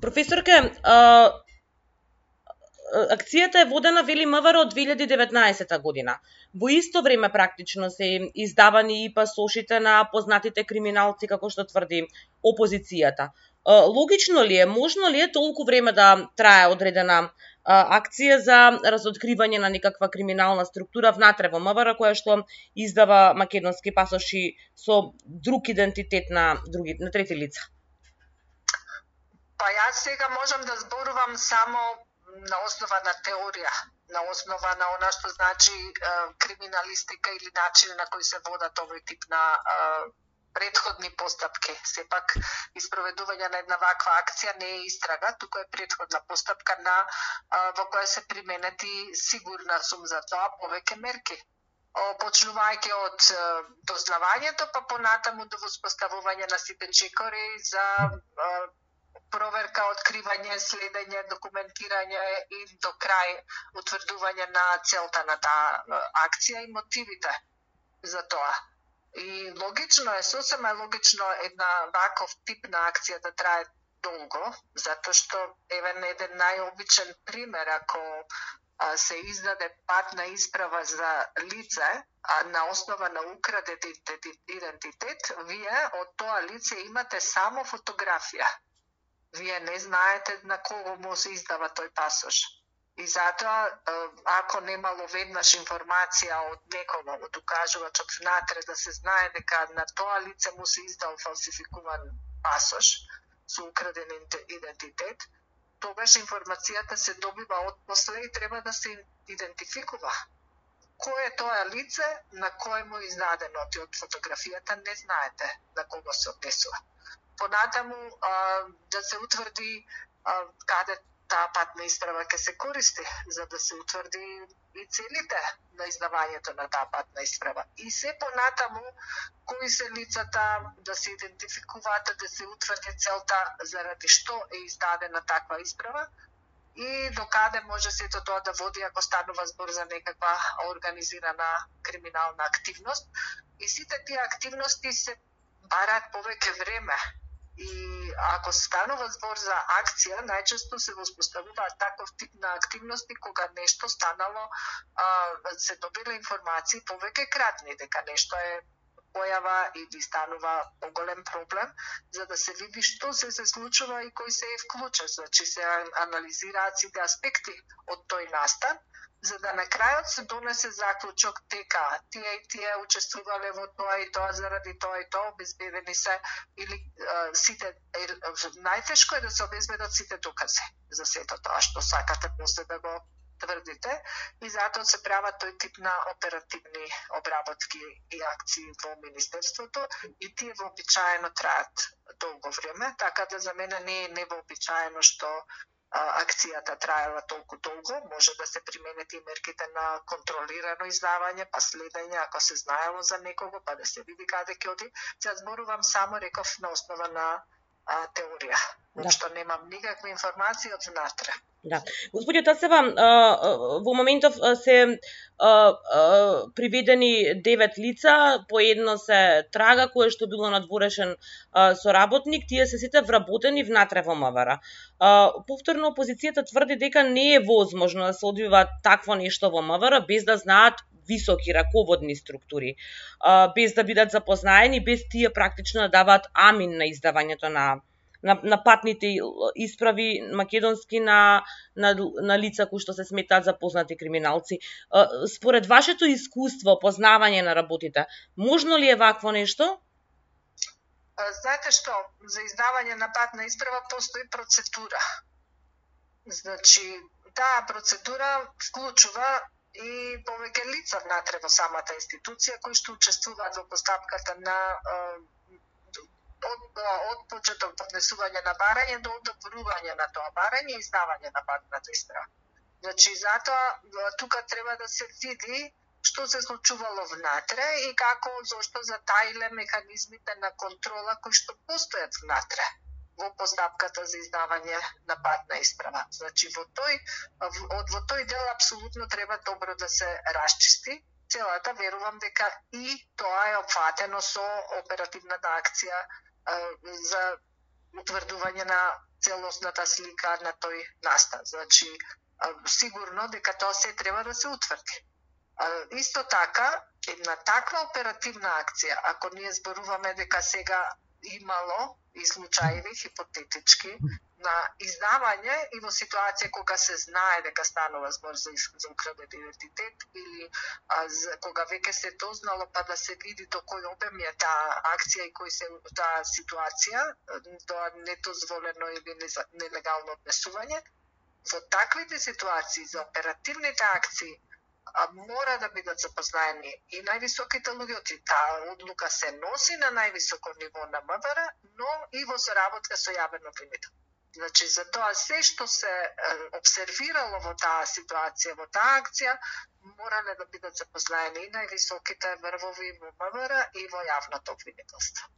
Професорке, акцијата е водена, вели МВР, од 2019 година. Во исто време практично се издавани и пасошите на познатите криминалци, како што тврди опозицијата. Логично ли е, можно ли е толку време да трае одредена акција за разоткривање на некаква криминална структура внатре во МВР, која што издава македонски пасоши со друг идентитет на трети лица? Па јас сега можам да зборувам само на основа на теорија, на основа на она што значи криминалистика или начин на кој се водат овој тип на предходни постапки. Сепак, испроведување на една ваква акција не е истрага, туку е предходна постапка во која се применети, сигурна сум за тоа, повеќе мерки. Почнувајќи од дознавањето, па понатаму до воспоставување на сите чекори за проверка, откривање, следење, документирање и до крај утврдување на целта на таа акција и мотивите за тоа. И логично е, сосема е логично една ваков тип на акција да трае долго, затоа што еден најобичен пример, ако се издаде патна исправа за лице, на основа на украден идентитет, вие од тоа лице имате само фотографија. Вие не знаете на кого му се издава тој пасош. И затоа, ако немало веднаш информација од некого, од укажувачот внатре, да се знае дека на тоа лице му се издал фалсификуван пасош со украден идентитет, тогаш информацијата се добива отпосле и треба да се идентификува. Кој е тоа лице, на кој му е издадено од фотографијата, не знаете на кого се однесува. Понатаму да се утврди каде таа патна исправа ќе се користи, за да се утврди и целите на издавањето на таа патна исправа. И се понатаму кои се лицата, да се идентификуваат, да се утврди целта заради што е издадена таква исправа и до каде може сето тоа да води ако станува збор за некаква организирана криминална активност. И сите тие активности се бараат повеќе време. И ако станува збор за акција, најчесто се воспоставуваат таков тип на активности кога нешто станало, се добила информации повеќе кратни, дека нешто е појава или станува поголем проблем, за да се види што се случува и кој се е вклучен. Значи се анализираат сите аспекти од тој настан, за да на крајот се донесе заклучок дека тие и тие учествувале во тоа и тоа заради тоа и тоа, обезбедени се или сите, најтешко е да се обезбедат сите докази за сето тоа што сакате после да го тврдите и затоа се прават тој тип на оперативни обработки и акции во Министерството и тие вообичаено траат долго време, така да за мене не е невообичаено што акцијата траела толку долго, може да се применет и мерките на контролирано издавање, па следење, ако се знаело за некого, па да се види каде ќе оди. Се зборувам само, реков, на основа на теорија, што немам никакви информации од внатре. Да. Господје Тасева, во моментов се приведени 9 лица, по едно се трага, кое што било надворешен соработник, тие се сите вработени внатре во МВР. Повторно опозицијата тврди дека не е возможно да се одвива такво нешто во МВР без да знаат високи раководни структури, без да бидат запознаени, без тие практично да даваат амин на издавањето на патните исправи македонски на лица кои што се сметаат за познати криминалци. Според вашето искуство, познавање на работите, можно ли е вакво нешто? Знаете што, за издавање на патна исправа постои процедура. Значи, таа процедура вклучува и повеќе лица внатре во самата институција кои што учествуваат во постапката на од почеток поднесување на барање до одобрување на тоа барање и издавање на патната исправа. Значи, затоа тука треба да се види што се случувало внатре и како, зошто затаиле механизмите на контрола кои што постојат внатре во постапката за издавање на патна исправа. Значи, во тој дел апсолутно треба добро да се расчисти целата, верувам дека и тоа е опфатено со оперативната акција за утврдување на целосната слика на тој настан. Значи, сигурно дека тоа се треба да се утврди. Исто така, една таква оперативна акција, ако ние зборуваме дека сега имало и случаеви хипотетички на издавање и во ситуација кога се знае дека станува збор за украден идентитет или кога веќе се дознало па да се види до кој обем е таа акција и кој се таа ситуација, тоа недозволено или нелегално однесување. Во таквите ситуации за оперативните акции мора да бидат запознаени и највисоките луѓе. Таа одлука се носи на највисоко ниво на МВР, но и во соработка со јавен обвинител. Значи, за тоа се што се обсервирало во таа ситуација, во таа акција, морале да бидат запознаени и највисоките врвови во МВР и во јавното обвинителство.